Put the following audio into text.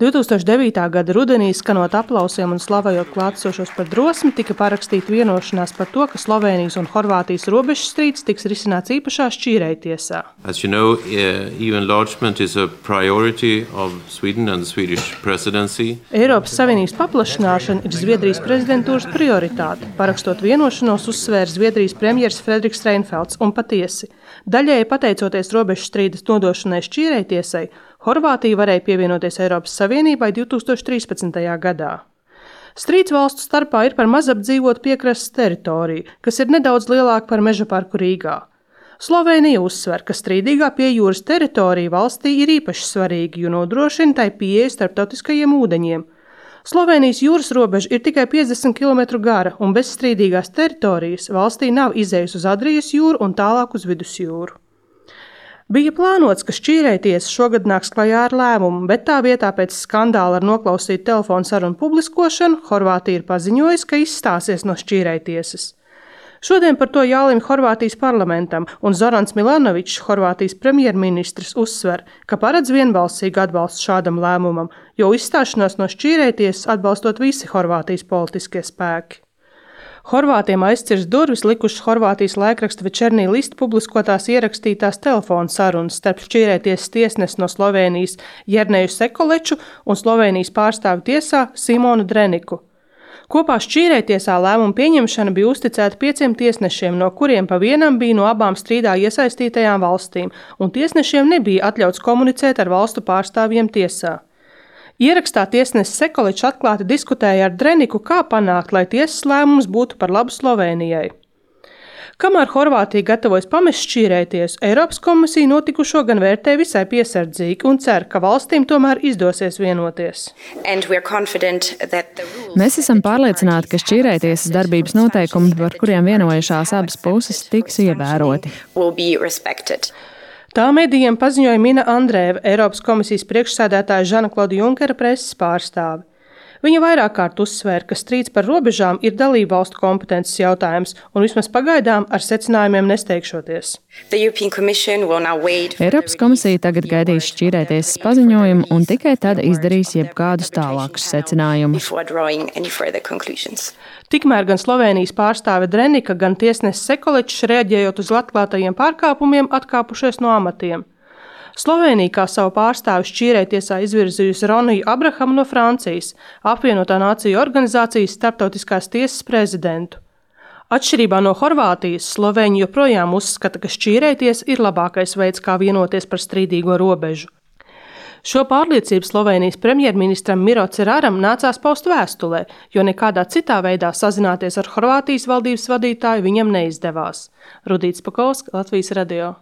2009. gada rudenī, skanot aplausiem un slavējot klātesošos par drosmi, tika parakstīta vienošanās par to, ka Slovēnijas un Horvātijas robežas strīds tiks risināts īpašā šķīrējtiesā. As you know, EU enlargement is a priority of Sweden and the Swedish presidency. Eiropas Savienības paplašināšana ir Zviedrijas prezidentūras prioritāte. Parakstot vienošanos, uzsvēra Zviedrijas premjeras Fredriks Reinfelds un patiesi. Daļēji pateicoties robežu strīdas nodošanai šķīrējtiesai, Horvātija varēja pievienoties Eiropas Savienībai 2013. gadā. Strīds valstu starpā ir par mazapdzīvotu piekrastes teritoriju, kas ir nedaudz lielāka par meža parku Rīgā. Slovēnija uzsver, ka strīdīgā pie jūras teritorija valstī ir īpaši svarīga, jo nodrošina tai pieeju starptautiskajiem ūdeņiem. Slovēnijas jūras robeža ir tikai 50 km gara, un bez strīdīgās teritorijas valstī nav izējas uz Adrijas jūru un tālāk uz Vidusjūru. Bija plānots, ka šķīrējtiesa šogad nāks klajā ar lēmumu, bet tā vietā pēc skandāla ar noklausītu telefonu sarunu publiskošanu Horvātija ir paziņojusi, ka izstāsies no šķīrējtiesas. Šodien par to jālemj Horvātijas parlamentam, un Zorans Milanovičs, Horvātijas premjerministrs, uzsver, ka paredz vienbalsīgu atbalstu šādam lēmumam, jo izstāšanos no šķīrējtiesas atbalstot visi Horvātijas politiskie spēki. Horvātiem aizcirs durvis likušas Horvātijas laikraksta Večernī List publiskotās ierakstītās telefonu sarunas starp šķīrējtiesas tiesnesi no Slovēnijas Jerneju Sekoleču un Slovēnijas pārstāvi tiesā Simonu Dreniku. Kopā šķīrējtiesā lēmuma pieņemšana bija uzticēta 5 tiesnešiem, no kuriem pa vienam bija no abām strīdā iesaistītajām valstīm, un tiesnešiem nebija atļauts komunicēt ar valstu pārstāvjiem tiesā. Ierakstā tiesnesis Sekolečs atklāti diskutēja ar Dreniku, kā panākt, lai tiesas lēmums būtu par labu Slovēnijai. Kamēr Horvātija gatavojas pamest šķīrējtiesu, Eiropas komisija notikušo gan vērtē visai piesardzīgi un cer, ka valstīm tomēr izdosies vienoties. Mēs esam pārliecināti, ka šķīrējtiesas darbības noteikumi, par kuriem vienojušās abas puses, tiks ievēroti. Tā medijiem paziņoja Mina Andrēva, Eiropas komisijas priekšsēdētāja Žana-Klauda Junkera preses pārstāve. Viņa vairāk kārt uzsvēra, ka strīds par robežām ir dalību valstu kompetences jautājums un vismaz pagaidām ar secinājumiem nesteigšoties. Eiropas komisija tagad gaidīs šķīrējtiesas paziņojumu un tikai tad izdarīs jebkādus tālākus secinājumus. Tikmēr gan Slovēnijas pārstāve Drenika, gan tiesnesis Sekolečs reaģējot uz atklātajiem pārkāpumiem atkāpušies no amatiem. Slovēnija kā savu pārstāvi šķīrējtiesā izvirzījusi Roniju Abrahamu no Francijas, apvienotā nāciju organizācijas starptautiskās tiesas prezidentu. Atšķirībā no Horvātijas, Slovēņi joprojām uzskata, ka šķīrējtiesa ir labākais veids, kā vienoties par strīdīgo robežu. Šo pārliecību Slovēnijas premjerministram Miro Ceraram nācās paust vēstulē, jo nekādā citā veidā sazināties ar Horvātijas valdības vadītāju viņam neizdevās. Rudīts Pakovska, Latvijas radio.